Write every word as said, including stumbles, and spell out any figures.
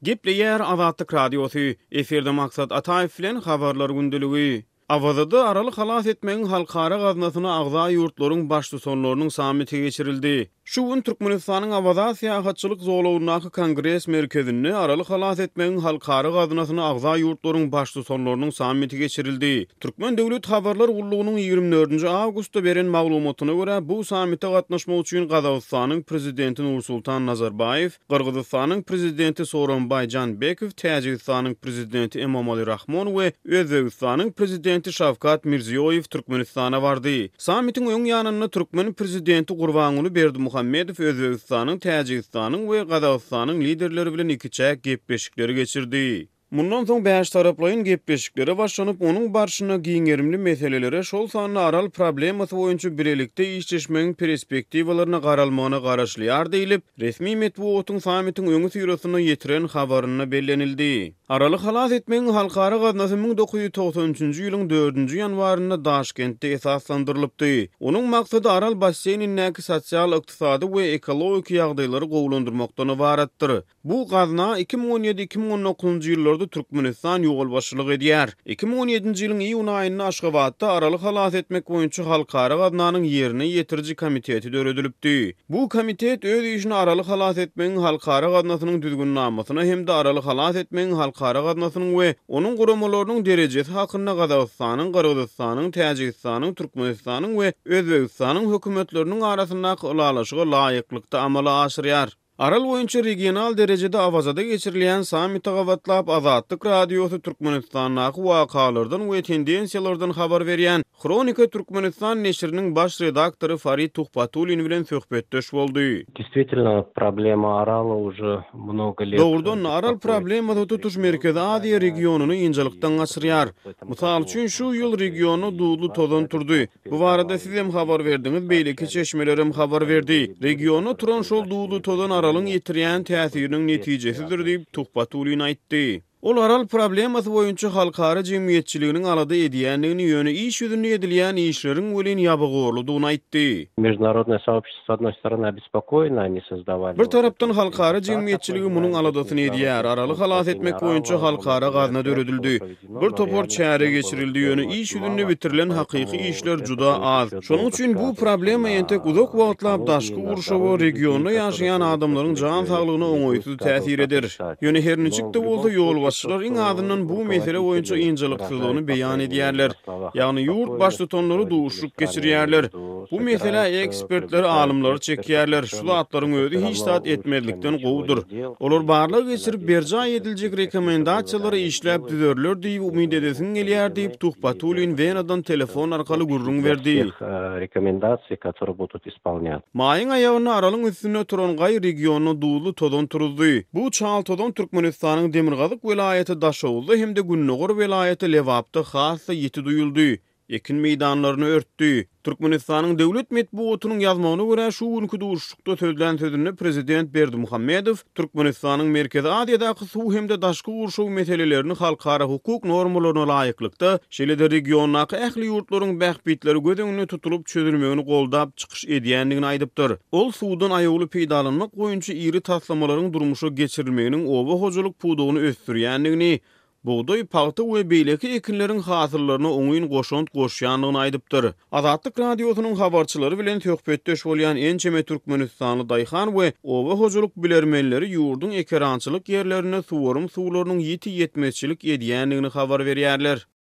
Gepleýär Azatlyk Radiosy, efirde Maksat Ataýew bilen Habarlar gündeligi. Awazada Araly halas etmegiň halkara gaznasyna agza ýurtlaryň baştutanlarynyň sammiti geçirildi. Şu gün Türkmenistanyň Awaza syýahatçylyk zolagyndaky Kongres merkezinde Araly halas etmegiň halkara gaznasyna agza ýurtlaryň baştutanlarynyň sammiti geçirildi. Türkmen döwlet habarlar gullugynyň ýigrimi dördünji awgustda beren maglumatyna görä, bu sammite gatnaşmak üçin Gazagystanyň Prezidenti Nursultan Nazarbaýew, Gyrgyzystanyň Prezidenti Sooronbaý Žeenbekow, Täjigistanyň Prezidenti Emomali Rahmon we Özbegistanyň Prezidenti Şawkat Mirziýoýew Türkmenistana bardy. Sammitiň öň ýanynda türkmen Prezidenti Gurbanguly Berdimuhamedow Özbegistanyň, Täjigistanyň we Gazagystanyň liderleri bilen ikiçäk gepleşikleri geçirdi. Mundan soň bäştaraplaýyn gepleşiklere başlanyp, onuň barşynda giň gerimli meselelere, şol sanda Aral problemasy boýunça bilelikde işleşmegiň perspektiwalaryna garalmagyna garaşylýar diýlip, resmi metbugatyň sammitiň öňüsyrasynda ýetiren habarynda bellenildi. Araly halas etmegiň halkara gaznasy müň dokuz ýüz togsan üçünji ýylyň dördünji ýanwarynda Daşkentde esaslandyrylypdy. Onuň maksady Aral basseýnindäki sosial-ykdysady we ekologik ýagdaýlary gowulandyrmakdan ybaratdyr. Bu gazna iki müň on ýedi-iki müň on dokuzynjy ýyllarda Türkmenistan ýolbaşçylyk edýär. Iki müň on ýedinji ýylyň iýun aýynda Aşgabatda Araly halas etmek boýunça halkara gaznanyň ýerine ýetiriji komiteti döredilipdi. Bu komitet öz işini Araly halas etmegiň halkara gaznasynyň düzgünnamasyna hem-de Araly halas etmegiň halkara gaznasynyň we onuň guramalarynyň derejesi hakynda Gazagystanyň, Gyrgyzystanyň, Täjigistanyň, Türkmenistanyň we Özbegistanyň hökümetleriniň arasyndaky ylalaşyga laýyklykda amala aşyrýar. Aral boýunça regional derejede Awazada geçirilýän sammite gabatlap Azatlyk Radiosy Türkmenistandaky wakalardan we tendensiýalardan habar berýän Hronika Türkmenistan neşiriniň baş redaktory Farid Tuhbatullin bilen söhbetdeş boldy. Действительно, problema Arala уже много лет. Dogrudan, Aral problemasy tutuş Merkezi Aziýa regionyny ynjalykdan gaçyrýar. Mysal üçin, şu ýyl regionda duzly tozan turdy. Bu barada siz hem habar berdiňiz, beýleki çeşmeler hem habar berdi. Regionda turan şol duzly tozan Aralyň ýetirýän täsiriniň netijesidir diýip Tuhbatullin aýtdy. Ol Aral problemasy boýunça halkara jemgyýetçiliginiň alada edýändigini, ýöne iş ýüzünde edilýän işleriň welin ýabygorludygyny aýtdy. Международное сообщество, с одной стороны, обеспокоено, они создавали Bir tarapdan halkara jemgyýetçiligi munuň aladasyny edýär. Araly halas etmek boýunça halkara gazna döredildi. Bir topar çäre geçirildi, ýöne iş ýüzünde bitirilen hakyky işler juda az. Şonuň üçin bu problema entek uzak wagtlap daşky gurşawa, regionda ýaşaýan adamlaryň jan saglygyna oňaýsyz täsir eder. Ýöne her niçik-de bolsa ýolbaşçylar iň azyndan bu mesele boýunça ynjalyksyzlygyny beýan edýärler. Ýagny ýurt baştutanlary duşup geçirýärler. Bu mesele ekspertler, alymlary çekýärler. Şu zatlaryň özi hiç zat etmezlikden gowudyr. Olar barlag geçirip berjaý ediljek rekomendasiýalary işläp düzerler diýip umyt edesin gelýär diýip Tuhbatullin Wenadan telefon arkaly gürrüň berdi. Rekomendasiýa, которые будут исполнять. Maýyň aýagynda Aralyň üstünde turan gaý regionyna duzly tozan turuzdy. Bu çal tozan Türkmenistanyň Demirgazyk welaýaty Daşoguzda hem-de Gündogar welaýaty Lebapda has-da ýiti duýuldy. Ekin meýdanlaryny örtdi. Türkmenistanyň döwlet metbugatynyň ýazmagyna görä şu günki duşuşykda sözlän sözünde Prezident Berdimuhamedow Türkmenistanyň Merkezi Aziýadaky suw hem-de daşky gurşaw meselelerini halkara hukuk normalaryna laýyklykda, şeýle-de regiondaky ähli ýurtlaryň bähbitleri göz öňünde tutulyp çözülmegini goldap çykyş edýändigini aýdypdyr. Ol suwdan aýawly peýdalanmak boýunça iri taslamalaryň durmuşa geçirilmeginiň oba hojalyk pudagyny ösdürýändigini, bugdaý, pagta we beýleki ekinleriň hasyllaryna oňyn goşant goşýandygyny aýdypdyr. Azatlyk Radiosynyň habarçylary bilen söhbetdeş bolýan ençeme Türkmenistanly daýhan we oba hojalyk bilermenleri ýurduň ekerançylyk ýerlerinde suwarym suwlarynyň ýiti ýetmezçilik edýändigini habar berýärler.